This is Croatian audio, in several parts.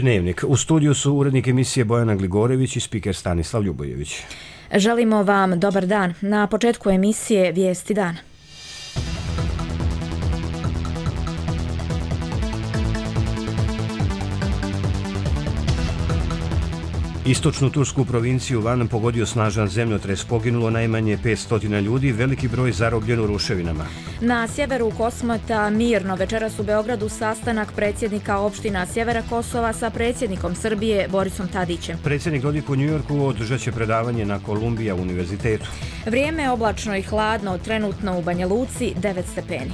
Dnevnik. U studiju su urednik emisije Bojana Gligorević i spiker Stanislav Ljubojević. Želimo vam dobar dan. Na početku emisije Vijesti dana. Istočnu tursku provinciju Van pogodio snažan zemljotres, poginulo najmanje 500 ljudi, veliki broj zarobljen u ruševinama. Na sjeveru Kosmeta mirno večeras u Beogradu sastanak predsjednika opština sjevera Kosova sa predsjednikom Srbije Borisom Tadićem. Predsjednik Dodik u Njujorku održat će predavanje na Kolumbija univerzitetu. Vrijeme je oblačno i hladno, trenutno u Banja Luci 9 stepeni.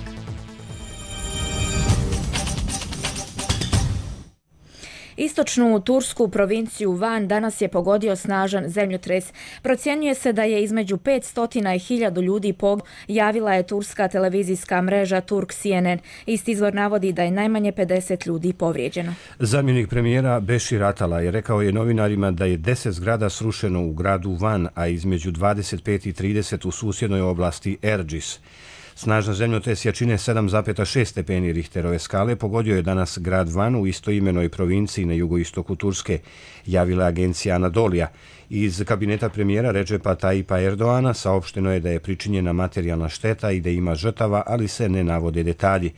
Istočnu tursku provinciju Van danas je pogodio snažan zemljotres. Procjenjuje se da je između 500 i 1000 ljudi poginulo, javila je turska televizijska mreža Turk CNN. Isti izvor navodi da je najmanje 50 ljudi povrijeđeno. Zamjenik premijera Bešir Atala je rekao novinarima da je 10 zgrada srušeno u gradu Van, a između 25 i 30 u susjednoj oblasti Erđis. Snažan zemljotres jačine 7,6 stepeni Richterove skale pogodio je danas grad Van u istoimenoj provinciji na jugoistoku Turske, javila agencija Anadolija. Iz kabineta premijera Redžepa Tayyipa Erdoana saopšteno je da je pričinjena materijalna šteta i da ima žrtava, ali se ne navode detalji.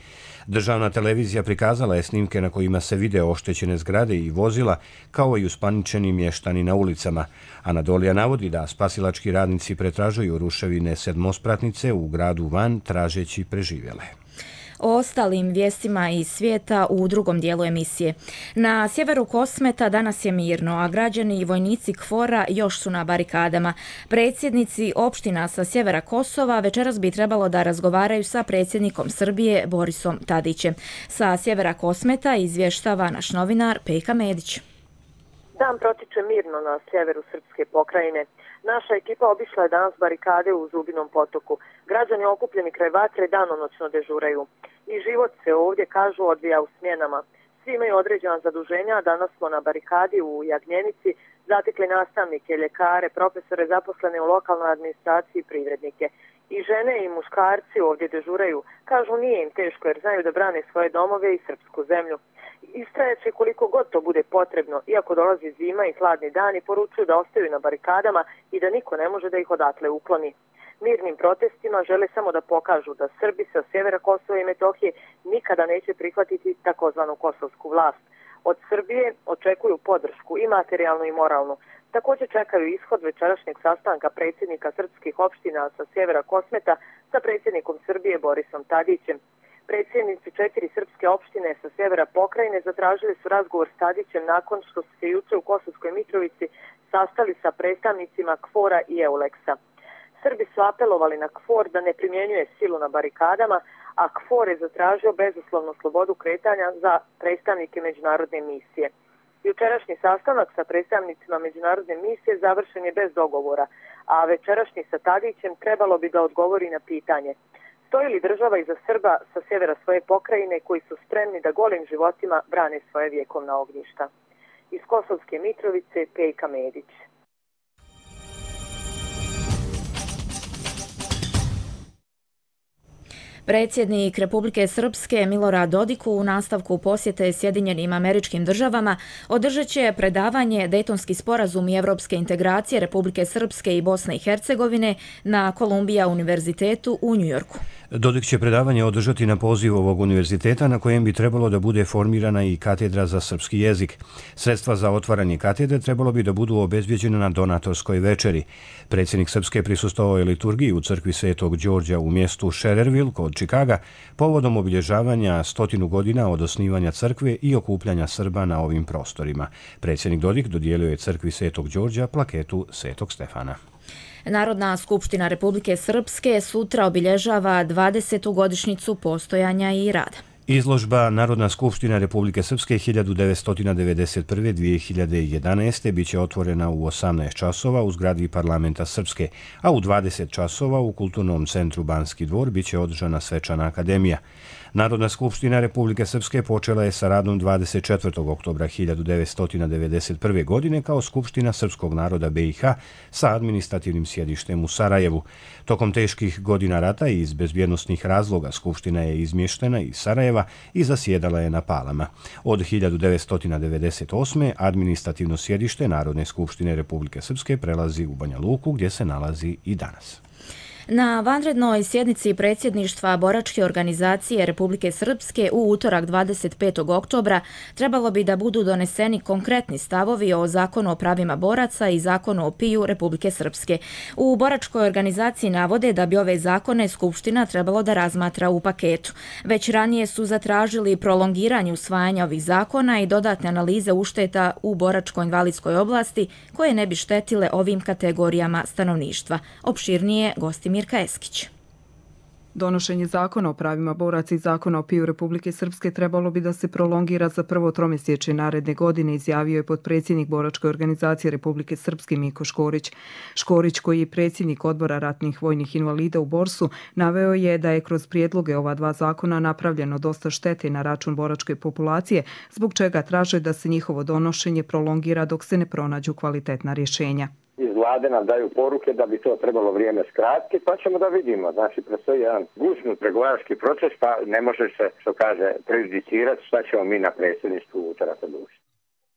Državna televizija prikazala je snimke na kojima se vide oštećene zgrade i vozila, kao i uspaničeni mještani na ulicama. Anadolija navodi da spasilački radnici pretražuju ruševine sedmospratnice u gradu Van tražeći preživjele. O ostalim vijestima iz svijeta u drugom dijelu emisije. Na sjeveru Kosmeta danas je mirno, a građani i vojnici KFOR-a još su na barikadama. Predsjednici opština sa sjevera Kosova večeras bi trebalo da razgovaraju sa predsjednikom Srbije Borisom Tadićem. Sa sjevera Kosmeta izvještava naš novinar Pejka Medić. Dan protiče mirno na sjeveru srpske pokrajine. Naša ekipa obišla je danas barikade u Zubinom potoku. Građani okupljeni kraj vatre danonoćno dežuraju. I život se ovdje, kažu, odvija u smjenama. Svi imaju određena zaduženja, a danas smo na barikadi u Jagnjenici zatekli nastavnike, ljekare, profesore zaposlene u lokalnoj administraciji i privrednike. I žene i muškarci ovdje dežuraju. Kažu, nije im teško jer znaju da brane svoje domove i srpsku zemlju. Istrajaće koliko god to bude potrebno, iako dolazi zima i hladni dani, poručuju da ostaju na barikadama i da niko ne može da ih odatle ukloni. Mirnim protestima žele samo da pokažu da Srbi sa sjevera Kosova i Metohije nikada neće prihvatiti takozvanu kosovsku vlast. Od Srbije očekuju podršku i materijalnu i moralnu. Također čekaju ishod večerašnjeg sastanka predsjednika srpskih opština sa sjevera Kosmeta sa predsjednikom Srbije Borisom Tadićem. Predsjednici 4 srpske opštine sa sjevera pokrajine zatražili su razgovor s Tadićem nakon što su se juče u Kosovskoj Mitrovici sastali sa predstavnicima KFOR-a i EULEX-a. Srbi su apelovali na KFOR da ne primjenjuje silu na barikadama, a KFOR je zatražio bezuslovnu slobodu kretanja za predstavnike međunarodne misije. Jučerašnji sastanak sa predstavnicima međunarodne misije završen je bez dogovora, a večerašnji sa Tadićem trebalo bi da odgovori na pitanje: stoji li država iza Srba sa sjevera svoje pokrajine koji su spremni da golim životima brane svoje vjekovna ognjišta? Iz Kosovske Mitrovice, Pejka Medić. Predsjednik Republike Srpske Milorad Dodik u nastavku posjete Sjedinjenim Američkim Državama održat će predavanje Dejtonski sporazum i evropske integracije Republike Srpske i Bosne i Hercegovine na Kolumbija univerzitetu u Njujorku. Dodik će predavanje održati na poziv ovog univerziteta na kojem bi trebalo da bude formirana i katedra za srpski jezik. Sredstva za otvaranje katedre trebalo bi da budu obezbjeđene na donatorskoj večeri. Predsjednik Srpske prisustvovao je liturgiji u crkvi Svetog Đorđa u mjestu Schererville kod Čikaga povodom obilježavanja 100 godina od osnivanja crkve i okupljanja Srba na ovim prostorima. Predsjednik Dodik dodijelio je crkvi Svetog Đorđa plaketu Svetog Stefana. Narodna skupština Republike Srpske sutra obilježava 20. godišnjicu postojanja i rada. Izložba Narodna skupština Republike Srpske 1991-2011 biće otvorena u 18 časova u zgradi Parlamenta Srpske, a u 20 časova u Kulturnom centru Banski dvor biće održana svečana akademija. Narodna skupština Republike Srpske počela je sa radom 24. oktobra 1991. godine kao Skupština srpskog naroda BiH sa administrativnim sjedištem u Sarajevu. Tokom teških godina rata i iz bezbjednosnih razloga Skupština je izmještena iz Sarajeva Sarajeva i zasjedala je na Palama. Od 1998. administrativno sjedište Narodne skupštine Republike Srpske prelazi u Banja Luku, gdje se nalazi i danas. Na vanrednoj sjednici predsjedništva Boračke organizacije Republike Srpske u utorak 25. oktobra trebalo bi da budu doneseni konkretni stavovi o Zakonu o pravima boraca i Zakonu o PIU Republike Srpske. U Boračkoj organizaciji navode da bi ove zakone Skupština trebalo da razmatra u paketu. Već ranije su zatražili prolongiranje usvajanja ovih zakona i dodatne analize ušteta u boračko-invalidskoj oblasti koje ne bi štetile ovim kategorijama stanovništva. Opširnije Gostimir Eskić. Donošenje zakona o pravima boraca i zakona o PIU Republike Srpske trebalo bi da se prolongira za prvo tromjesečje naredne godine, izjavio je potpredsjednik Boračke organizacije Republike Srpske Miko Škorić. Škorić, koji je predsjednik odbora ratnih vojnih invalida u Borsu, naveo je da je kroz prijedloge ova dva zakona napravljeno dosta štete na račun boračke populacije, zbog čega traže da se njihovo donošenje prolongira dok se ne pronađu kvalitetna rješenja. Iz vlade nam daju poruke da bi to trebalo vrijeme skratiti, pa ćemo da vidimo. Znači, predstoji jedan gužni pregovarački proces, pa ne može se, što kaže, prejudicirati šta ćemo mi na predsjedništvu utorak odlučiti.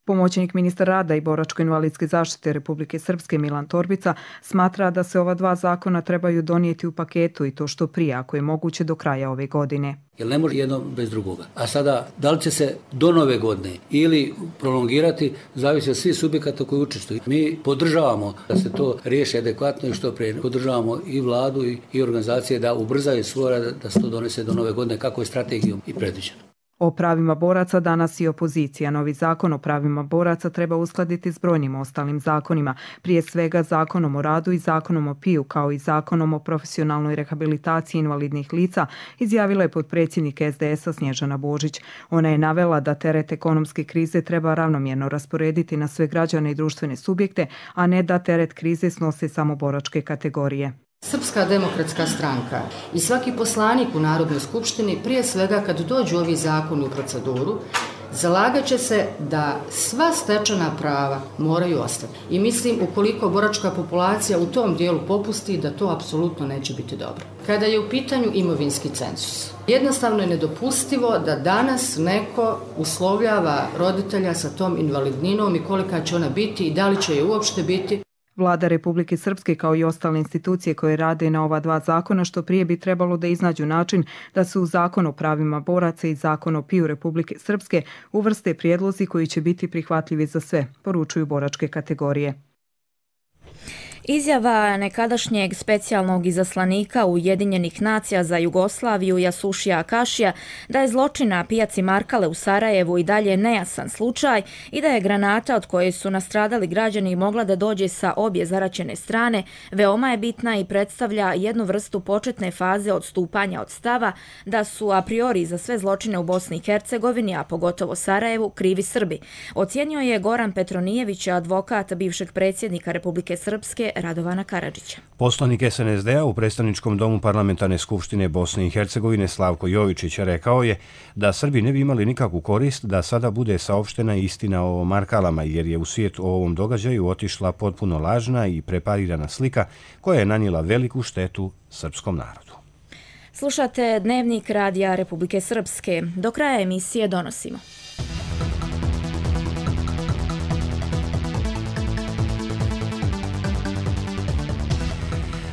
Pomoćnik ministra rada i boračko-invalidske zaštite Republike Srpske Milan Torbica smatra da se ova dva zakona trebaju donijeti u paketu i to što prije, ako je moguće do kraja ove godine. Jer ne može jedno bez drugoga. A sada, da li će se do nove godine ili prolongirati, zavisi od svih subjekata koji učestvuju. Mi podržavamo da se to riješi adekvatno i što prije. Podržavamo i vladu i organizacije da ubrzaju svoj rad, da se to donese do nove godine, kako je strategijom i predviđeno. O pravima boraca danas i opozicija. Novi zakon o pravima boraca treba uskladiti s brojnim ostalim zakonima, prije svega Zakonom o radu i Zakonom o PIU, kao i Zakonom o profesionalnoj rehabilitaciji invalidnih lica, izjavila je potpredsjednik SDS-a Snježana Božić. Ona je navela da teret ekonomske krize treba ravnomjerno rasporediti na sve građane i društvene subjekte, a ne da teret krize snose samo boračke kategorije. Srpska demokratska stranka i svaki poslanik u Narodnoj skupštini, prije svega kad dođu ovi zakoni u proceduru, zalagat će se da sva stečena prava moraju ostati. I mislim, ukoliko boračka populacija u tom dijelu popusti, da to apsolutno neće biti dobro. Kada je u pitanju imovinski cenzus, jednostavno je nedopustivo da danas neko uslovljava roditelja sa tom invalidninom i kolika će ona biti i da li će je uopšte biti. Vlada Republike Srpske kao i ostale institucije koje rade na ova dva zakona što prije bi trebalo da iznađu način da se u Zakon o pravima boraca i Zakon o PIU Republike Srpske uvrste prijedlozi koji će biti prihvatljivi za sve, poručuju boračke kategorije. Izjava nekadašnjeg specijalnog izaslanika Ujedinjenih nacija za Jugoslaviju Jasušija Akašija da je zločin na pijaci Markale u Sarajevu i dalje nejasan slučaj i da je granata od koje su nastradali građani mogla da dođe sa obje zaraćene strane veoma je bitna i predstavlja jednu vrstu početne faze odstupanja od stava da su a priori za sve zločine u Bosni i Hercegovini, a pogotovo Sarajevu, krivi Srbi. Ocijenio je Goran Petronijević, advokat bivšeg predsjednika Republike Srpske Radovana Karadžića. Poslanik SNSD-a u predstavničkom domu Parlamentarne skupštine Bosne i Hercegovine Slavko Jovičić rekao je da Srbi ne bi imali nikakvu korist da sada bude saopštena istina o Markalama, jer je u svijet o ovom događaju otišla potpuno lažna i preparirana slika koja je nanijela veliku štetu srpskom narodu. Slušate Dnevnik Radija Republike Srpske. Do kraja emisije donosimo.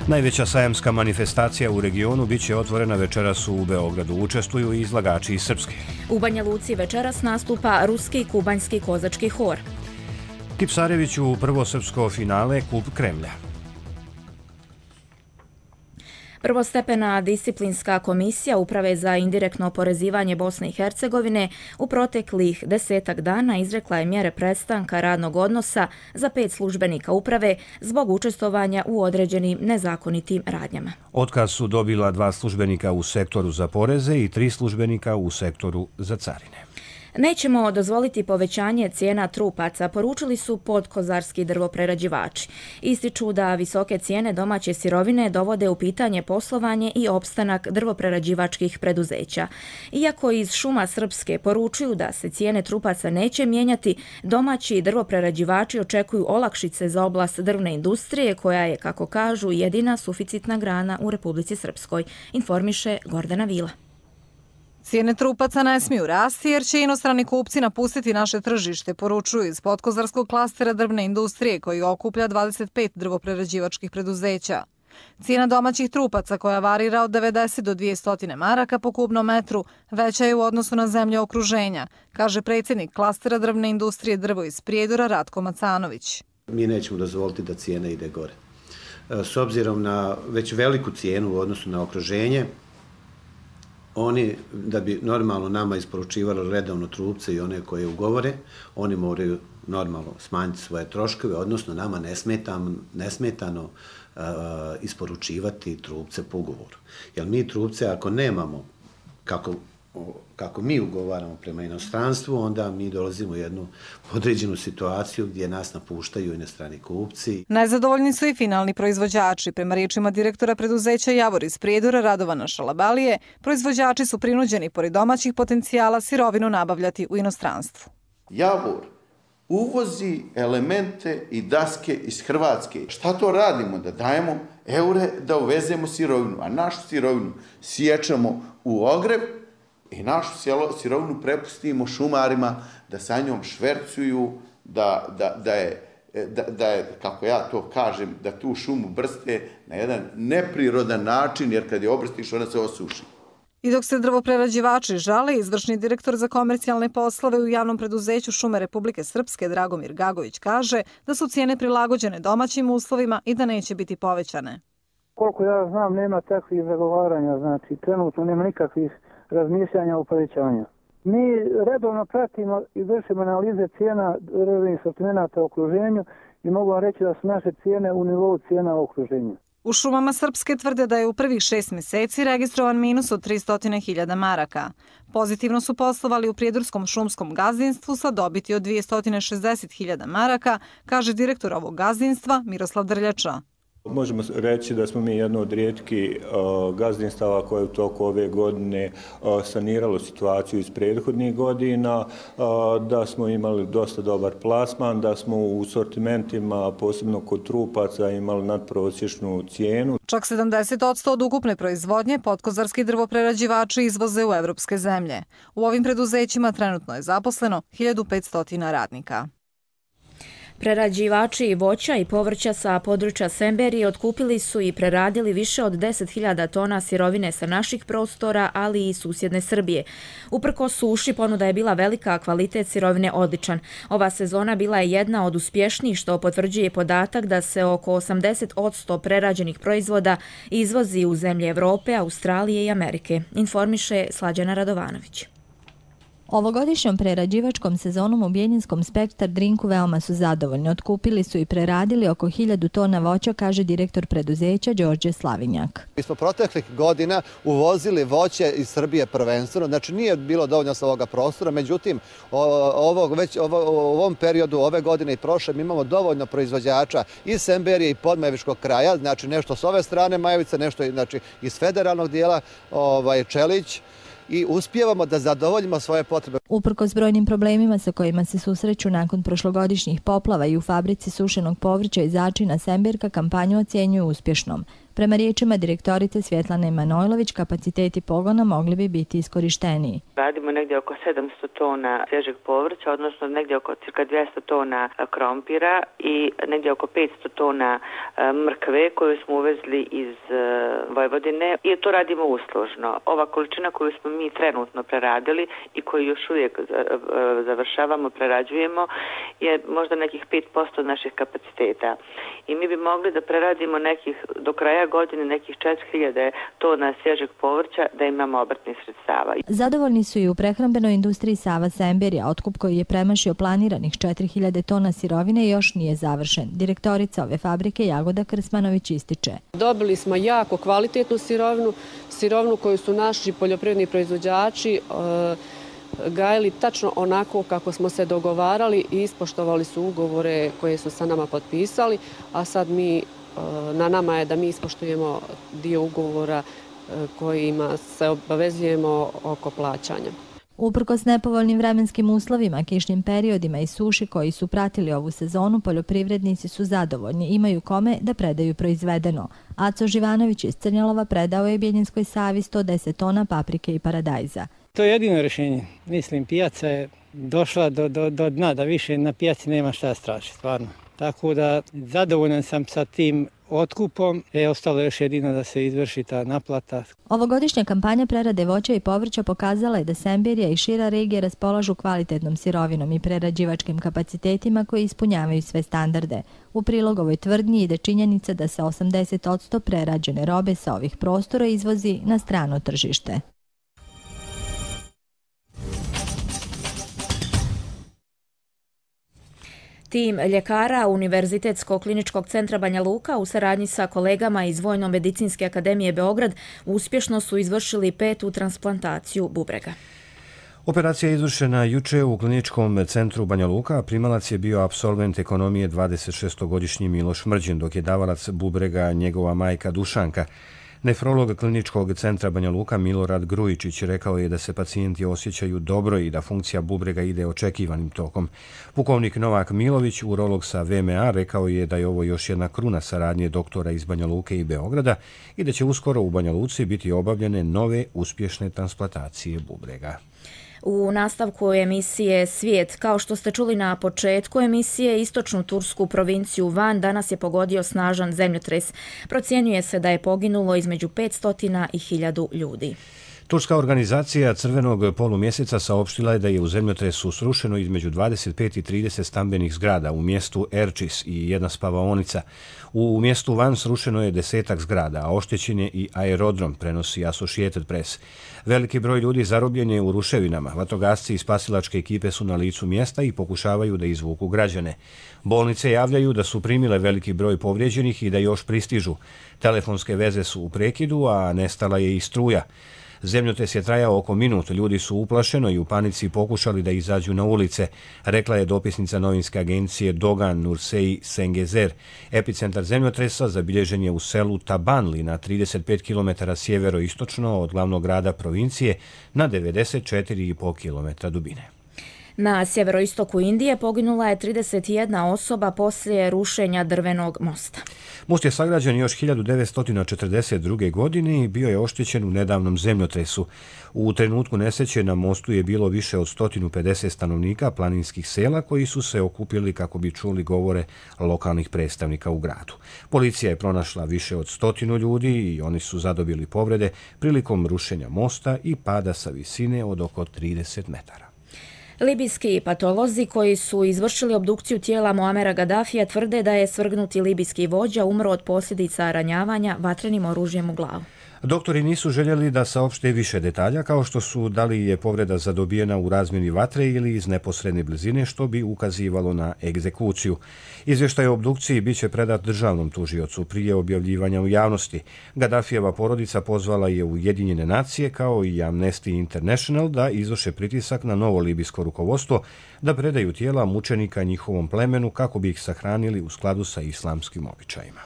Najveća sajamska manifestacija u regionu biće otvorena večeras u Beogradu. Učestvuju i izlagači iz Srpske. U Banja Luci večeras nastupa ruski i kubanjski kozački hor. Tipsareviću prvo srpsko finale Kup Kremlja. Prvostepena disciplinska komisija Uprave za indirektno oporezivanje Bosne i Hercegovine u proteklih 10 dana izrekla je mjere prestanka radnog odnosa za 5 službenika uprave zbog učestvovanja u određenim nezakonitim radnjama. Otkaz su dobila 2 službenika u sektoru za poreze i 3 službenika u sektoru za carine. Nećemo dozvoliti povećanje cijena trupaca, poručili su podkozarski drvoprerađivači. Ističu da visoke cijene domaće sirovine dovode u pitanje poslovanje i opstanak drvoprerađivačkih preduzeća. Iako iz Šuma Srpske poručuju da se cijene trupaca neće mijenjati, domaći drvoprerađivači očekuju olakšice za oblast drvne industrije, koja je, kako kažu, jedina suficitna grana u Republici Srpskoj, informiše Gordana Vila. Cijene trupaca ne smiju rasti jer će inostrani kupci napustiti naše tržište, poručuju iz podkozarskog klastera drvne industrije koji okuplja 25 drvoprerađivačkih preduzeća. Cijena domaćih trupaca koja varira od 90 do 200 maraka po kubnom metru veća je u odnosu na zemlje okruženja, kaže predsjednik klastera drvne industrije Drvo iz Prijedora Ratko Macanović. Mi nećemo dozvoliti da cijena ide gore. S obzirom na već veliku cijenu u odnosu na okruženje, oni, da bi normalno nama isporučivali redovno trupce i one koje ugovore, oni moraju normalno smanjiti svoje troškove, odnosno nama nesmetano isporučivati trupce po ugovoru. Jer mi trupce, ako nemamo, kako mi ugovaramo prema inostranstvu, onda mi dolazimo u jednu određenu situaciju gdje nas napuštaju inostrani kupci. Nezadovoljni su i finalni proizvođači. Prema riječima direktora preduzeća Javor iz Prijedora Radovana Šalabalije, proizvođači su prinuđeni pored domaćih potencijala sirovinu nabavljati u inostranstvu. Javor uvozi elemente i daske iz Hrvatske. Šta to radimo? Da dajemo eure da uvezemo sirovinu, a našu sirovinu siječemo u ogrev i našu sirovinu prepustimo šumarima da sa njom švercuju, da je, kako ja to kažem, da tu šumu brste na jedan neprirodan način, jer kad je obrstiš ona se osuši. I dok se drvoprerađivači žale, izvršni direktor za komercijalne poslove u javnom preduzeću Šume Republike Srpske Dragomir Gagović kaže da su cijene prilagođene domaćim uslovima i da neće biti povećane. Koliko ja znam, nema takvih zagovaranja, znači trenutno nema nikakvih razmišljanja o povećanju. Mi redovno pratimo i vršimo analize cijena drvnih sortimenata u okruženju i mogu vam reći da su naše cijene u nivou cijena u okruženju. U Šumama Srpske tvrde da je u prvih 6 mjeseci registrovan minus od 300.000 maraka. Pozitivno su poslovali u Prijedorskom šumskom gazdinstvu sa dobiti od 260.000 maraka, kaže direktor ovog gazdinstva Miroslav Drljača. Možemo reći da smo mi jedno od rijetkih gazdinstava koje u toku ove godine saniralo situaciju iz prethodnih godina, da smo imali dosta dobar plasman, da smo u sortimentima, posebno kod trupaca, imali nadprosječnu cijenu. Čak 70% od ukupne proizvodnje podkozarski drvoprerađivači izvoze u evropske zemlje. U ovim preduzećima trenutno je zaposleno 1500 radnika. Prerađivači voća i povrća sa područja Semberije otkupili su i preradili više od 10.000 tona sirovine sa naših prostora, ali i susjedne Srbije. Uprkos suši, ponuda je bila velika, a kvalitet sirovine odličan. Ova sezona bila je jedna od uspješnijih, što potvrđuje podatak da se oko 80% prerađenih proizvoda izvozi u zemlje Evrope, Australije i Amerike, informiše Slađana Radovanović. Ovogodišnjom prerađivačkom sezonom u Bjeljinskom Spektar Drinku veoma su zadovoljni. Otkupili su i preradili oko 1000 tona voća, kaže direktor preduzeća Đorđe Slavinjak. Mi smo proteklih godina uvozili voće iz Srbije prvenstveno, znači nije bilo dovoljno sa ovoga prostora, međutim u ovom periodu ove godine i prošle mi imamo dovoljno proizvođača iz Semberije i Podmajevičkog kraja, znači nešto s ove strane Majevice, nešto znači iz federalnog dijela Čelić, i uspijevamo da zadovoljimo svoje potrebe. Uprkos brojnim problemima sa kojima se susreću nakon prošlogodišnjih poplava i u fabrici sušenog povrća i začina Semberka kampanju ocjenjuju uspješnom. Prema riječima direktorice Svjetlane Manojlović, kapaciteti pogona mogli bi biti iskorišteniji. Radimo negdje oko 700 tona svježeg povrća, odnosno negdje oko cirka 200 tona krompira i negdje oko 500 tona mrkve koju smo uvezli iz Vojvodine i to radimo uslužno. Ova količina koju smo mi trenutno preradili i koju još uvijek završavamo, prerađujemo, je možda nekih 5% naših kapaciteta. I mi bi mogli da preradimo do kraja godine nekih 4000 tona svježeg povrća da imamo obrtnih sredstava. Zadovoljni su i u prehrambenoj industriji Sava Semberija. Otkup koji je premašio planiranih 4000 tona sirovine još nije završen. Direktorica ove fabrike Jagoda Krsmanović ističe. Dobili smo jako kvalitetnu sirovinu koju su naši poljoprivredni proizvođači gajili tačno onako kako smo se dogovarali i ispoštovali su ugovore koje su sa nama potpisali, a sad na nama je da mi ispoštujemo dio ugovora kojima se obavezujemo oko plaćanja. Uprkos nepovoljnim vremenskim uslovima, kišnim periodima i suši koji su pratili ovu sezonu, poljoprivrednici su zadovoljni, imaju kome da predaju proizvedeno. Aco Živanović iz Crnjalova predao je Bjeljinskoj Savi 110 tona paprike i paradajza. To je jedino rješenje. Mislim, pijaca je došla do dna, da više na pijaci nema šta strašiti, stvarno. Tako da zadovoljan sam sa tim otkupom, ostalo još jedino da se izvrši ta naplata. Ovogodišnja kampanja prerade voća i povrća pokazala je da Semberija i šira regija raspolažu kvalitetnom sirovinom i prerađivačkim kapacitetima koji ispunjavaju sve standarde. U prilog ovoj tvrdnji ide činjenica da se 80% prerađene robe sa ovih prostora izvozi na strano tržište. Tim ljekara Univerzitetskog kliničkog centra Banja Luka u saradnji sa kolegama iz Vojno-medicinske akademije Beograd uspješno su izvršili 5. transplantaciju bubrega. Operacija je izvršena juče u kliničkom centru Banja Luka, a primalac je bio apsolvent ekonomije 26-godišnji Miloš Mrđin, dok je davalac bubrega njegova majka Dušanka. Nefrolog kliničkog centra Banja Luka Milorad Grujičić rekao je da se pacijenti osjećaju dobro i da funkcija bubrega ide očekivanim tokom. Pukovnik Novak Milović, urolog sa VMA, rekao je da je ovo još jedna kruna saradnje doktora iz Banja Luke i Beograda i da će uskoro u Banja Luci biti obavljene nove uspješne transplantacije bubrega. U nastavku emisije Svijet, kao što ste čuli na početku emisije, istočnu tursku provinciju Van danas je pogodio snažan zemljotres. Procjenjuje se da je poginulo između 500 i 1000 ljudi. Turska organizacija Crvenog polumjeseca saopštila je da je u zemljotresu srušeno između 25 i 30 stambenih zgrada u mjestu Erčis i jedna spavaonica. U mjestu Van srušeno je 10 zgrada, a oštećen je i aerodrom, prenosi Associated Press. Veliki broj ljudi zarobljen je u ruševinama. Vatrogasci i spasilačke ekipe su na licu mjesta i pokušavaju da izvuku građane. Bolnice javljaju da su primile veliki broj povrijeđenih i da još pristižu. Telefonske veze su u prekidu, a nestala je i struja. Zemljotres je trajao oko minut, ljudi su uplašeno i u panici pokušali da izađu na ulice, rekla je dopisnica novinske agencije Dogan Nursei Sengezer. Epicentar zemljotresa zabilježen je u selu Tabanli na 35 km sjeveroistočno od glavnog grada provincije na 94,5 km dubine. Na sjeveroistoku Indije poginula je 31 osoba poslije rušenja drvenog mosta. Most je sagrađen još 1942. godine i bio je oštećen u nedavnom zemljotresu. U trenutku nesreće na mostu je bilo više od 150 stanovnika planinskih sela koji su se okupili kako bi čuli govore lokalnih predstavnika u gradu. Policija je pronašla više od 100 ljudi i oni su zadobili povrede prilikom rušenja mosta i pada sa visine od oko 30 metara. Libijski patolozi koji su izvršili obdukciju tijela Muamera Gaddafija tvrde da je svrgnuti libijski vođa umro od posljedica ranjavanja vatrenim oružjem u glavu. Doktori nisu željeli da saopšte više detalja, kao što su da li je povreda zadobijena u razmjeni vatre ili iz neposredne blizine, što bi ukazivalo na egzekuciju. Izvještaj o obdukciji biće predat državnom tužiocu prije objavljivanja u javnosti. Gaddafijeva porodica pozvala je Ujedinjene nacije kao i Amnesty International da izvrše pritisak na novo libijsko rukovodstvo da predaju tijela mučenika njihovom plemenu kako bi ih sahranili u skladu sa islamskim običajima.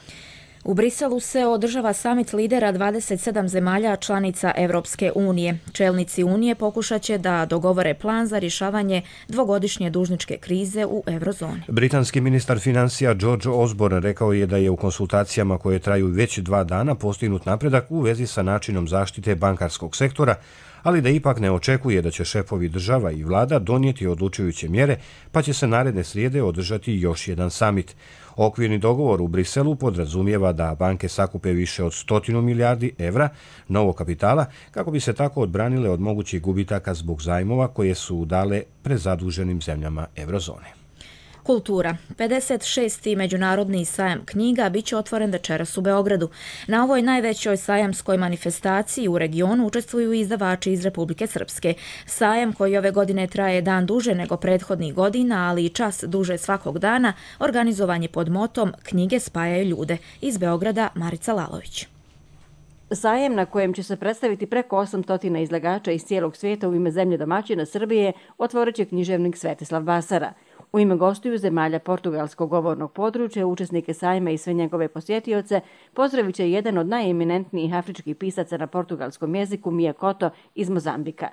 U Briselu se održava samit lidera 27 zemalja članica Evropske unije. Čelnici unije pokušat će da dogovore plan za rješavanje dvogodišnje dužničke krize u eurozoni. Britanski ministar financija George Osborne rekao je da je u konsultacijama koje traju već 2 dana postignut napredak u vezi sa načinom zaštite bankarskog sektora, ali da ipak ne očekuje da će šefovi država i vlada donijeti odlučujuće mjere, pa će se naredne srijede održati još jedan samit. Okvirni dogovor u Briselu podrazumijeva da banke sakupe više od 100 milijardi evra novog kapitala kako bi se tako odbranile od mogućih gubitaka zbog zajmova koje su dale prezaduženim zemljama eurozone. Kultura. 56. međunarodni sajam knjiga bit će otvoren večeras u Beogradu. Na ovoj najvećoj sajamskoj manifestaciji u regionu učestvuju izdavači iz Republike Srpske. Sajam, koji ove godine traje dan duže nego prethodnih godina, ali i čas duže svakog dana, organizovan je pod motom Knjige spajaju ljude. Iz Beograda Marica Lalović. Sajem na kojem će se predstaviti preko 800 izlagača iz cijelog svijeta u ime zemlje domaćina Srbije otvorit će književnik Svetislav Basara. U ime gostiju zemalja portugalskog govornog područja, učesnike sajma i sve njegove posjetioce pozdravit će jedan od najeminentnijih afričkih pisaca na portugalskom jeziku, Mia Couto iz Mozambika.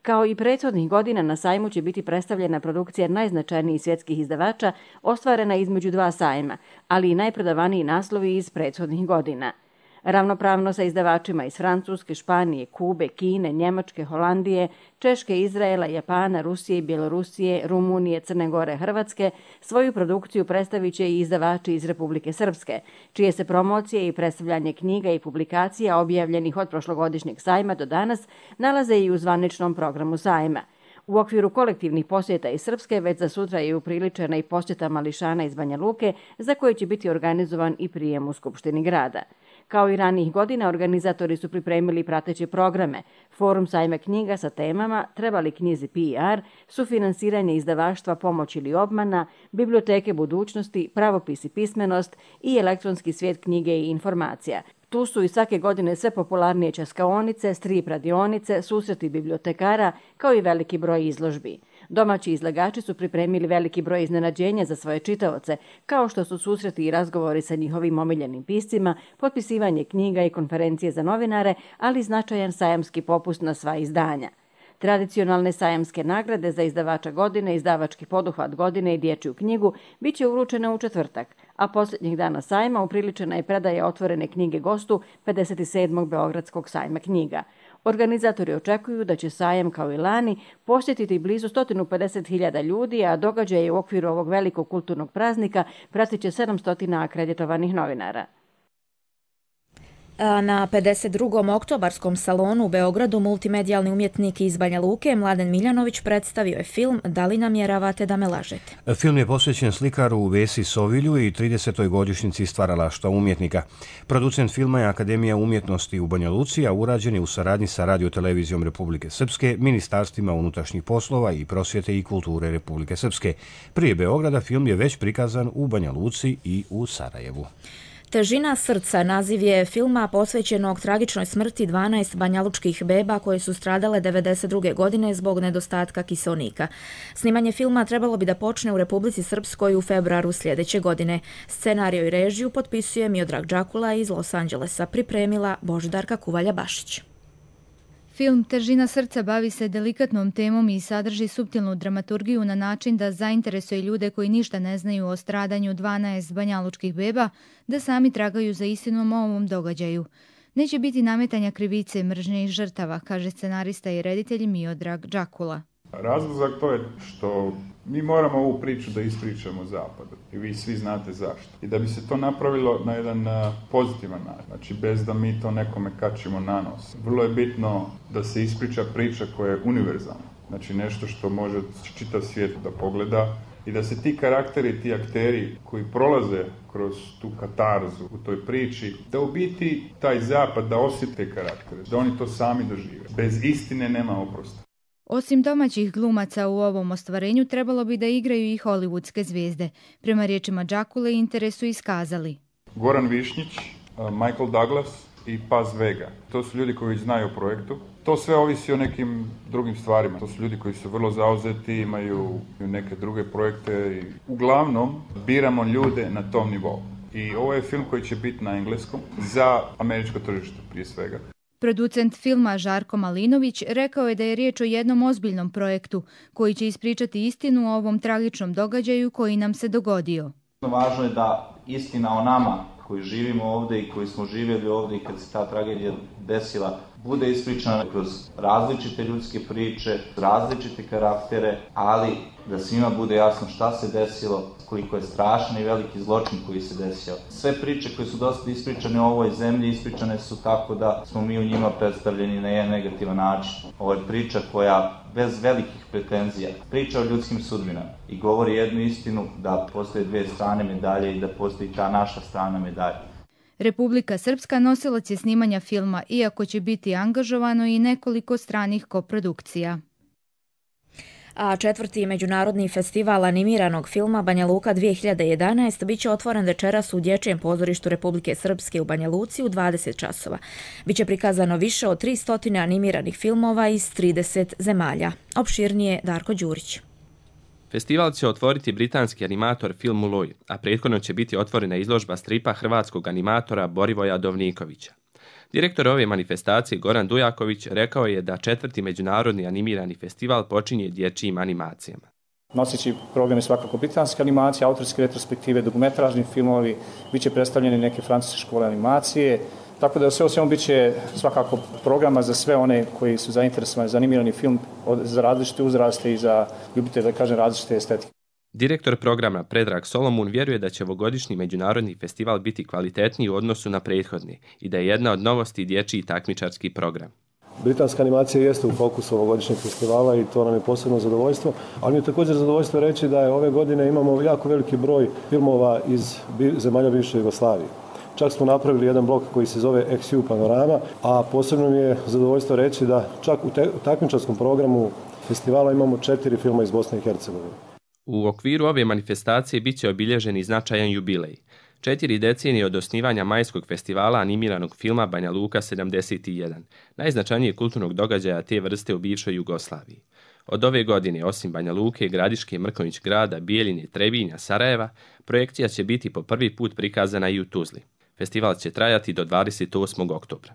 Kao i prethodnih godina na sajmu će biti predstavljena produkcija najznačajnijih svjetskih izdavača, ostvarena između 2 sajma, ali i najprodavaniji naslovi iz prethodnih godina. Ravnopravno sa izdavačima iz Francuske, Španije, Kube, Kine, Njemačke, Holandije, Češke, Izraela, Japana, Rusije i Bjelorusije, Rumunije, Crne Gore, Hrvatske, svoju produkciju predstavit će i izdavači iz Republike Srpske, čije se promocije i predstavljanje knjiga i publikacija objavljenih od prošlogodišnjeg sajma do danas nalaze i u zvaničnom programu sajma. U okviru kolektivnih posjeta iz Srpske već za sutra je upriličena i posjeta mališana iz Banja Luke, za koje će biti organizovan i prijem u Skupštini grada. Kao i ranijih godina, organizatori su pripremili prateće programe, forum sajma knjiga sa temama Treba li knjizi PR, sufinansiranje izdavaštva Pomoć ili obmana, biblioteke budućnosti, pravopis i pismenost i elektronski svijet knjige i informacija. Tu su i svake godine sve popularnije časkaonice, strip radionice, susreti bibliotekara, kao i veliki broj izložbi. Domaći izlagači su pripremili veliki broj iznenađenja za svoje čitaoce, kao što su susreti i razgovori sa njihovim omiljenim piscima, potpisivanje knjiga i konferencije za novinare, ali značajan sajamski popust na sva izdanja. Tradicionalne sajamske nagrade za izdavača godine, izdavački poduhvat godine i dječju knjigu bit će uručene u četvrtak, a posljednjih dana sajma upriličena je predaja otvorene knjige gostu 57. Beogradskog sajma knjiga. Organizatori očekuju da će sajam kao i lani posjetiti blizu 150.000 ljudi, a događaje u okviru ovog velikog kulturnog praznika pratit će 700 akreditovanih novinara. Na 52. oktobarskom salonu u Beogradu multimedijalni umjetnik iz Banja Luke Mladen Miljanović predstavio je film Da li namjeravate da me lažete? Film je posvećen slikaru Vesi Sovilju i 30. godišnjici stvaralaštva umjetnika. Producent filma je Akademija umjetnosti u Banja Luci, a urađen je u saradnji sa Radio-televizijom Republike Srpske, Ministarstvima unutrašnjih poslova i prosvjete i kulture Republike Srpske. Prije Beograda film je već prikazan u Banja Luci i u Sarajevu. Težina srca naziv je filma posvećenog tragičnoj smrti 12 banjalučkih beba koje su stradale 1992. godine zbog nedostatka kiseonika. Snimanje filma trebalo bi da počne u Republici Srpskoj u februaru sljedeće godine. Scenario i režiju potpisuje Miodrag Đakula iz Los Angelesa, pripremila Božidarka Kuvalja-Bašić. Film Težina srca bavi se delikatnom temom i sadrži suptilnu dramaturgiju na način da zainteresuje ljude koji ništa ne znaju o stradanju 12 banjalučkih beba da sami tragaju za istinom o ovom događaju. Neće biti nametanja krivice, mržnje i žrtava, kaže scenarista i reditelj Miodrag Đakula. Razlog za to je što mi moramo ovu priču da ispričamo Zapadu i vi svi znate zašto. I da bi se to napravilo na jedan pozitivan način, znači bez da mi to nekome kačimo na nos. Vrlo je bitno da se ispriča priča koja je univerzalna, znači nešto što može čitav svijet da pogleda i da se ti karakteri, ti akteri koji prolaze kroz tu katarzu u toj priči, da u biti taj Zapad da osjete karaktere, da oni to sami dožive. Bez istine nema oprosta. Osim domaćih glumaca u ovom ostvarenju, trebalo bi da igraju i hollywoodske zvijezde. Prema riječima Đakule, interes su iskazali. Goran Višnjić, Michael Douglas i Paz Vega. To su ljudi koji znaju o projektu. To sve ovisi o nekim drugim stvarima. To su ljudi koji su vrlo zauzeti, imaju neke druge projekte. Uglavnom, biramo ljude na tom nivou. I ovo je film koji će biti na engleskom za američko tržište prije svega. Producent filma Žarko Malinović rekao je da je riječ o jednom ozbiljnom projektu koji će ispričati istinu o ovom tragičnom događaju koji nam se dogodio. Važno je da istina o nama koji živimo ovdje i koji smo živjeli ovdje i kad se ta tragedija desila bude ispričana kroz različite ljudske priče, različite karaktere, ali da svima bude jasno šta se desilo, koliko je strašan i veliki zločin koji se desio. Sve priče koje su dosta ispričane u ovoj zemlji, ispričane su tako da smo mi u njima predstavljeni na jedan negativan način. Ovo je priča koja bez velikih pretenzija priča o ljudskim sudbinama i govori jednu istinu da postoje dvije strane medalje i da postoji ta naša strana medalje. Republika Srpska nosilac je snimanja filma, iako će biti angažovano i nekoliko stranih koprodukcija. A 4. međunarodni festival animiranog filma Banja Luka 2011 biće otvoren večeras u Dječjem pozorištu Republike Srpske u Banja Luci u 20 časova. Biće prikazano više od 300 animiranih filmova iz 30 zemalja. Opširnije Darko Đurić. Festival će otvoriti britanski animator Phil Mulloy, a prethodno će biti otvorena izložba stripa hrvatskog animatora Borivoja Dovnikovića. Direktor ove manifestacije Goran Dujaković rekao je da 4. međunarodni animirani festival počinje dječjim animacijama. Noseći program je svakako britanska animacija, autorske retrospektive, dokumentražni filmovi, bit će predstavljene neke francuske škole animacije, Tako da sve o svemu bit će svakako programa za sve one koji su zainteresovani za animirani film za različite uzraste i za ljubitelje, da kažem, različite estetike. Direktor programa Predrag Solomun vjeruje da će ovogodišnji međunarodni festival biti kvalitetniji u odnosu na prethodni i da je jedna od novosti dječji takmičarski program. Britanska animacija jeste u fokusu ovogodišnjeg festivala i to nam je posebno zadovoljstvo, ali mi je također zadovoljstvo reći da je ove godine imamo jako veliki broj filmova iz zemalja bivše Jugoslavije. Čak smo napravili jedan blok koji se zove XU Panorama, a posebno mi je zadovoljstvo reći da čak u takmičarskom programu festivala imamo 4 filma iz Bosne i Hercegovine. U okviru ove manifestacije bit će obilježen i značajan jubilej. 4 decenije od osnivanja majskog festivala animiranog filma Banja Luka 71, najznačajnijeg kulturnog događaja te vrste u bivšoj Jugoslaviji. Od ove godine, osim Banja Luke, Gradiške, Mrkonjić Grada, Bijeljine, Trebinja, Sarajeva, projekcija će biti po prvi put prikazana i u Tuzli. Festival će trajati do 28. oktobra.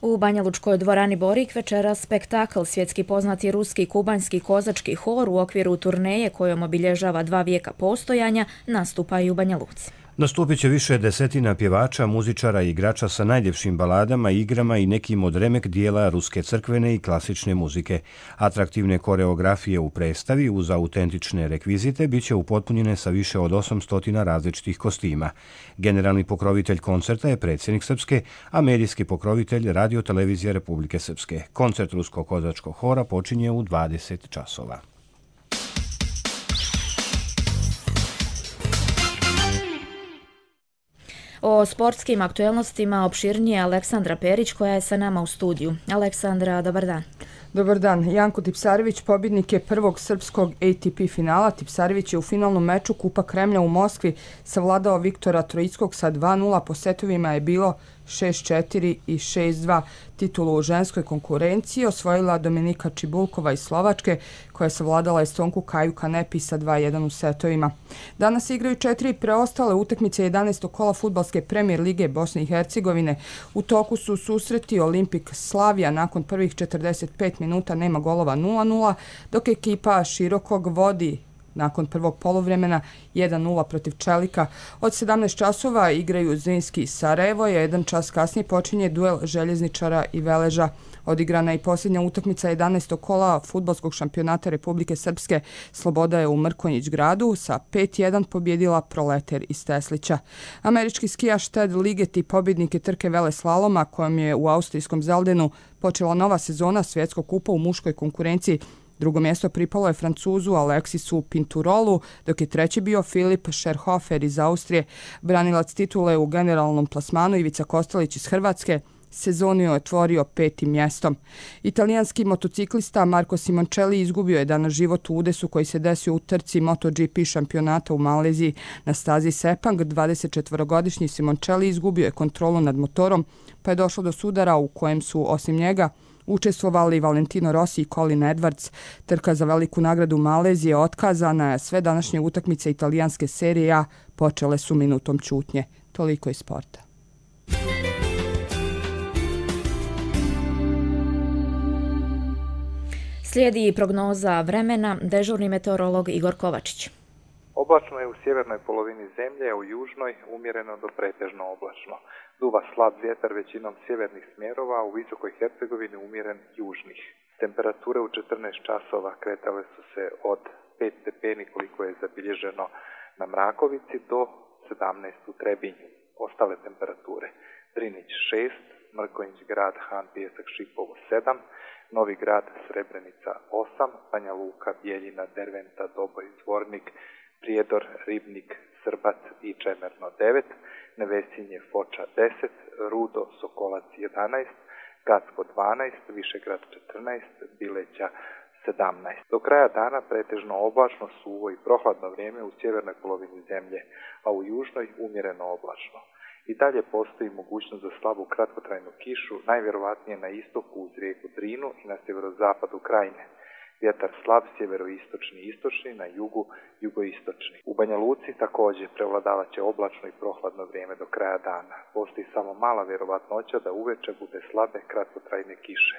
U Banjalučkoj dvorani Borik večera spektakl svjetski poznati ruski kubanski kozački hor u okviru turneje kojom obilježava 2 vijeka postojanja nastupa i u Banja Luci. Nastupit će više desetina pjevača, muzičara i igrača sa najljepšim baladama, igrama i nekim od remek dijela ruske crkvene i klasične muzike. Atraktivne koreografije u predstavi uz autentične rekvizite bit će upotpunjene sa više od 800 različitih kostima. Generalni pokrovitelj koncerta je predsjednik Srpske, a medijski pokrovitelj Radio-televizija Republike Srpske. Koncert ruskog kozačkog hora počinje u 20 časova. O sportskim aktuelnostima opširnije Aleksandra Perić koja je sa nama u studiju. Aleksandra, dobar dan. Dobar dan. Janko Tipsarević pobjednik je prvog srpskog ATP finala. Tipsarević je u finalnom meču Kupa Kremlja u Moskvi savladao Viktora Trojickog sa 2:0. Po setovima je bilo 6-4 i 6-2. Titulu u ženskoj konkurenciji osvojila Dominika Čibulkova iz Slovačke, koja je savladala Estonku Kaju Kanepi sa 2:1 u setovima. Danas igraju 4 preostale utakmice 11. kola fudbalske premijer lige Bosne i Hercegovine. U toku su susreti Olimpik Slavija, nakon prvih 45 minuta nema golova 0:0, dok ekipa Širokog vodi nakon prvog poluvremena 1:0 protiv Čelika. Od 17 časova igraju Zrinski i Sarajevo, a 1 čas kasnije počinje duel Željezničara i Veleža. Odigrana je i posljednja utakmica 11. kola fudbalskog šampionata Republike Srpske. Sloboda je u Mrkonjić Gradu sa 5:1 pobjedila Proleter iz Teslića. Američki skijaš Ted Ligeti pobjednik je trke veleslaloma kojom je u austrijskom Zeldenu počela nova sezona svjetskog kupa u muškoj konkurenciji. Drugo mjesto pripalo je Francuzu Alexisu Pinturolu, dok je treći bio Filip Scherhofer iz Austrije. Branilac titule u generalnom plasmanu Ivica Kostelić iz Hrvatske sezonu je otvorio 5. mjestom. Italijanski motociklista Marco Simoncelli izgubio je danas život u udesu koji se desio u trci MotoGP šampionata u Maleziji. Na stazi Sepang 24-godišnji Simoncelli izgubio je kontrolu nad motorom, pa je došlo do sudara u kojem su osim njega učestvovali Valentino Rossi i Colin Edwards. Trka za veliku nagradu Malezije otkazana je, sve današnje utakmice italijanske serije A počele su minutom ćutnje. Toliko iz sporta. Slijedi prognoza vremena, dežurni meteorolog Igor Kovačić. Oblačno je u sjevernoj polovini zemlje, a u južnoj umjereno do pretežno oblačno. Duva slab vjetar većinom sjevernih smjerova, a u visokoj Hercegovini umjeren južnih. Temperature u 14 časova kretale su se od 5 stepeni koliko je zabilježeno na Mrakovici do 17 u Trebinju. Ostale temperature: Drinić 6, Mrkonjić Grad, Han, Pijesak, Šipovo 7, Novi Grad, Srebrenica 8, Banja Luka, Bijeljina, Derventa, Doboj, Zvornik, Prijedor, Ribnik, Srbac i Čemerno 9, Nevesinje, Foča 10, Rudo, Sokolac 11, Gacko 12, Višegrad 14, Bileća 17. Do kraja dana pretežno oblačno, suvo i prohladno vrijeme u sjevernoj polovini zemlje, a u južnoj umjereno oblačno. I dalje postoji mogućnost za slabu kratkotrajnu kišu, najvjerovatnije na istoku uz rijeku Drinu i na sjeverozapadu Krajine. Vjetar slab sjeveroistočni i istočni, na jugu jugoistočni. U Banja Luci također prevladavat će oblačno i prohladno vrijeme do kraja dana. Postoji samo mala vjerovatnoća da uveče bude slabe kratkotrajne kiše.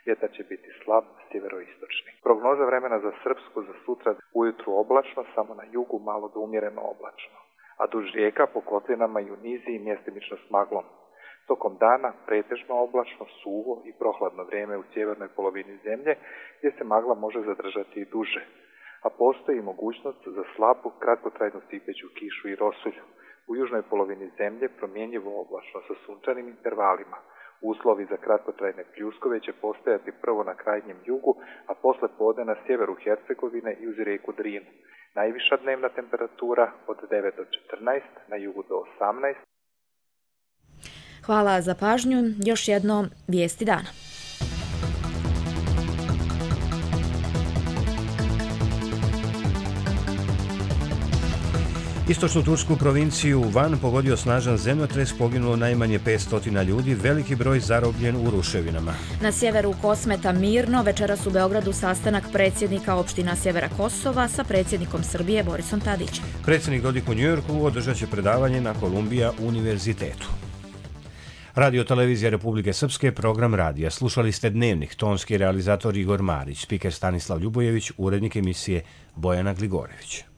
Vjetar će biti slab sjeveroistočni. Prognoza vremena za Srpsku za sutra: ujutru oblačno, samo na jugu malo do umjereno oblačno, a duž rijeka po kotlinama i u niziji mjestimično s maglom. Tokom dana pretežno oblačno, suvo i prohladno vrijeme u sjevernoj polovini zemlje gdje se magla može zadržati i duže, a postoji mogućnost za slabu, kratkotrajnu sipeću kišu i rosulju. U južnoj polovini zemlje promjenjivo oblačno sa sunčanim intervalima. Uslovi za kratkotrajne pljuskove će postojati prvo na krajnjem jugu, a posle podne na sjeveru Hercegovine i uz rijeku Drinu. Najviša dnevna temperatura od 9 do 14, na jugu do 18. Hvala za pažnju. Još jedno vijesti dana. Istočnu tursku provinciju Van pogodio snažan zemljotres, poginulo najmanje 500 ljudi, veliki broj zarobljen u ruševinama. Na sjeveru Kosmeta mirno, večeras u Beogradu sastanak predsjednika opština Sjevera Kosova sa predsjednikom Srbije Borisom Tadićem. Predsjednik Dodik u Njujorku održat će predavanje na Kolumbija univerzitetu. Radio Televizija Republike Srpske, program radija. Slušali ste Dnevnik, tonski realizator Igor Marić, spiker Stanislav Ljubojević, urednik emisije Bojana Gligorević.